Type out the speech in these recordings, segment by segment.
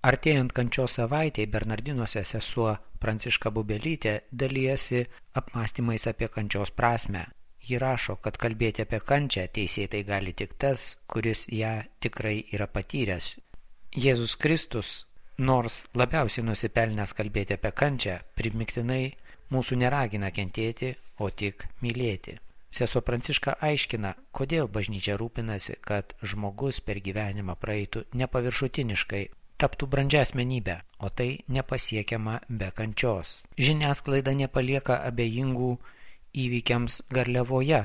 Artėjant kančios savaitei Bernardinuose sesuo Pranciška Bubelytė dalijasi apmąstymais apie kančios prasmę. Ji rašo, kad kalbėti apie kančią teisėtai gali tik tas, kuris ją tikrai yra patyręs. Jėzus Kristus, nors labiausiai nusipelnęs kalbėti apie kančią, primiktinai mūsų neragina kentėti, o tik mylėti. Sesuo Pranciška aiškina, kodėl bažnyčia rūpinasi, kad žmogus per gyvenimą praeitų nepaviršutiniškai, taptų brandžia asmenybė, o tai nepasiekiama be kančios. Žiniasklaida nepalieka abejingų įvykiams Garliavoje,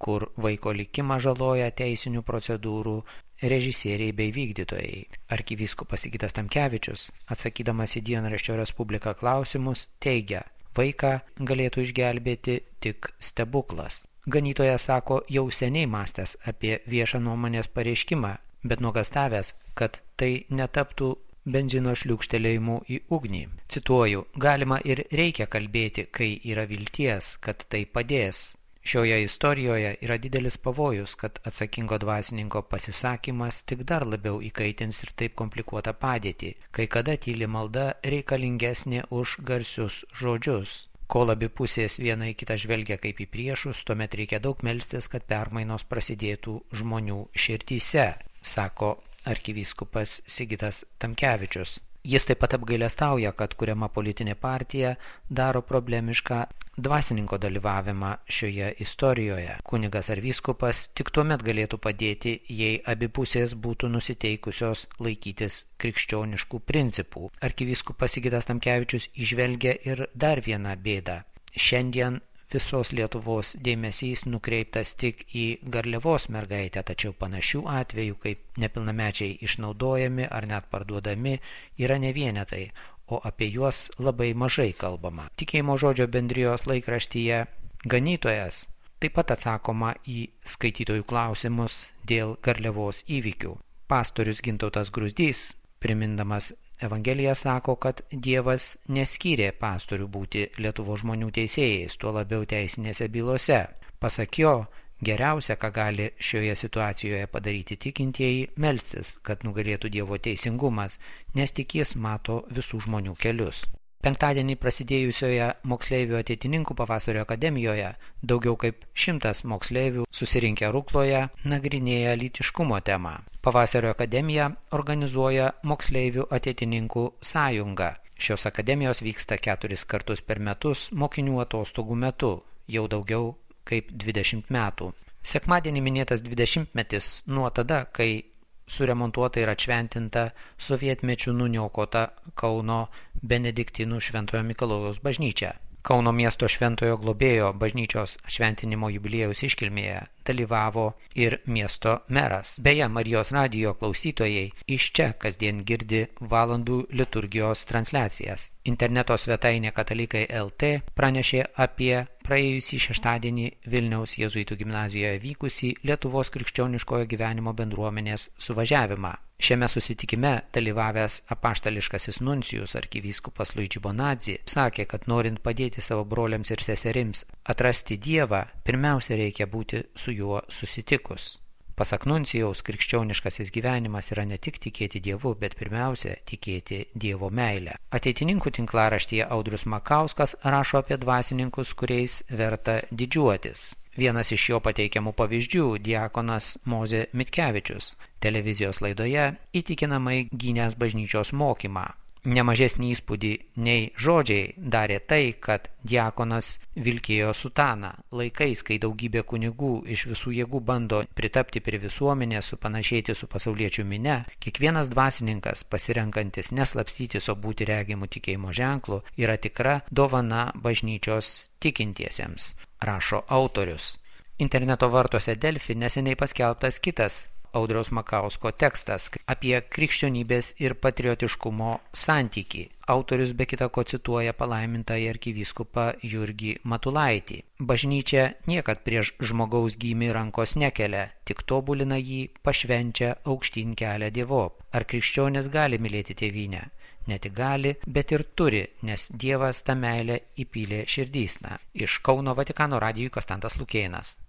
kur vaiko likimą žaloja teisinių procedūrų režisieriai bei vykdytojai. Arkivyskupas Sigitas Tamkevičius, atsakydamas į dienraščio Respublika klausimus, teigia, vaiką galėtų išgelbėti tik stebuklas. Ganytojas sako, jau seniai mąstęs apie viešą nuomonės pareiškimą, bet nuogąstavęs, kad tai netaptų benzino šliūkštelėjimu į ugnį. Cituoju, galima ir reikia kalbėti, kai yra vilties, kad tai padės. Šioje istorijoje yra didelis pavojus, kad atsakingo dvasininko pasisakymas tik dar labiau įkaitins ir taip komplikuotą padėtį, kai kada tyli malda reikalingesnė už garsius žodžius. Kol abi pusės viena į kitą žvelgia kaip į priešus, tuomet reikia daug melstis, kad permainos prasidėtų žmonių širdyse, sako arkivyskupas Sigitas Tamkevičius. Jis taip pat apgailestauja, kad kuriama politinė partija daro problemišką dvasininko dalyvavimą šioje istorijoje. Kunigas ar vyskupas tik tuomet galėtų padėti, jei abi pusės būtų nusiteikusios laikytis krikščioniškų principų. Arkivyskupas Sigitas Tamkevičius įžvelgia ir dar vieną bėdą. Šiandien visos Lietuvos dėmesys nukreiptas tik į Garliavos mergaitę, tačiau panašių atvejų, kaip nepilnamečiai išnaudojami ar net parduodami, yra ne vienetai, o apie juos labai mažai kalbama. Tikėjimo žodžio bendrijos laikraštyje Ganytojas taip pat atsakoma į skaitytojų klausimus dėl Garliavos įvykių. Pastorius Gintautas Gruzdys, primindamas Evangelija, sako, kad Dievas neskyrė pastorių būti Lietuvos žmonių teisėjais, tuo labiau teisinėse bylose. Pasak jo, geriausia, ką gali šioje situacijoje padaryti tikintieji, melstis, kad nugalėtų Dievo teisingumas, nes tik jis mato visų žmonių kelius. Penktadienį prasidėjusioje moksleivių ateitininkų pavasario akademijoje daugiau kaip 100 moksleivių susirinkę Rukloje nagrinėja lytiškumo temą. Pavasario akademija organizuoja moksleivių ateitininkų sąjungą. Šios akademijos vyksta 4 kartus per metus mokinių atostogų metu, jau daugiau kaip 20 metų. Sekmadienį minėtas 20-metis nuo tada, kai suremontuota ir atšventinta sovietmečiu nuniokota Kauno Benediktinų Šventojo Mikalojaus bažnyčia. Kauno miesto Šventojo Globėjo bažnyčios atšventinimo jubiliejaus iškilmėje dalyvavo ir miesto meras. Beje, Marijos radijo klausytojai iš čia kasdien girdi valandų liturgijos transliacijas. Interneto svetainė Katalikai LT pranešė apie praėjusį šeštadienį Vilniaus jėzuitų gimnazijoje vykusį Lietuvos krikščioniškojo gyvenimo bendruomenės suvažiavimą. Šiame susitikime dalyvavęs apaštališkasis nuncijus arkivyskupas Luigi Bonadzi sakė, kad norint padėti savo broliams ir seserims atrasti Dievą, pirmiausia reikia būti su juo susitikus. Pasak nuncijaus, krikščioniškasis gyvenimas yra ne tik tikėti Dievu, bet pirmiausia tikėti Dievo meilę. Ateitininkų tinklaraštyje Audrius Makauskas rašo apie dvasininkus, kuriais verta didžiuotis. Vienas iš jo pateikiamų pavyzdžių – diakonas Mozė Mitkevičius, televizijos laidoje įtikinamai gynęs bažnyčios mokymą. Nemažesnį įspūdį nei žodžiai darė tai, kad diakonas vilkėjo sutaną. Laikais, kai daugybė kunigų iš visų jėgų bando pritapti prie visuomenės, supanašėti su pasauliečių mine, kiekvienas dvasininkas, pasirenkantis neslapstytis, o būti regimų tikėjimo ženklų, yra tikra dovana bažnyčios tikintiesiems, rašo autorius. Interneto vartuose Delfi neseniai paskelbtas kitas Audriaus Makausko tekstas apie krikščionybės ir patriotiškumo santykį. Autorius be kita ko cituoja palaimintąjį arkivyskupą Jurgį Matulaitį. Bažnyčia niekad prieš žmogaus gimį rankos nekelia, tik tobulina jį, pašvenčia, aukštyn kelia Dievop. Ar krikščionis gali mylėti tėvynę? Ne tik gali, bet ir turi, nes Dievas tą meilę įpylė širdysna. Iš Kauno Vatikano radijui Konstantas Lukėnas.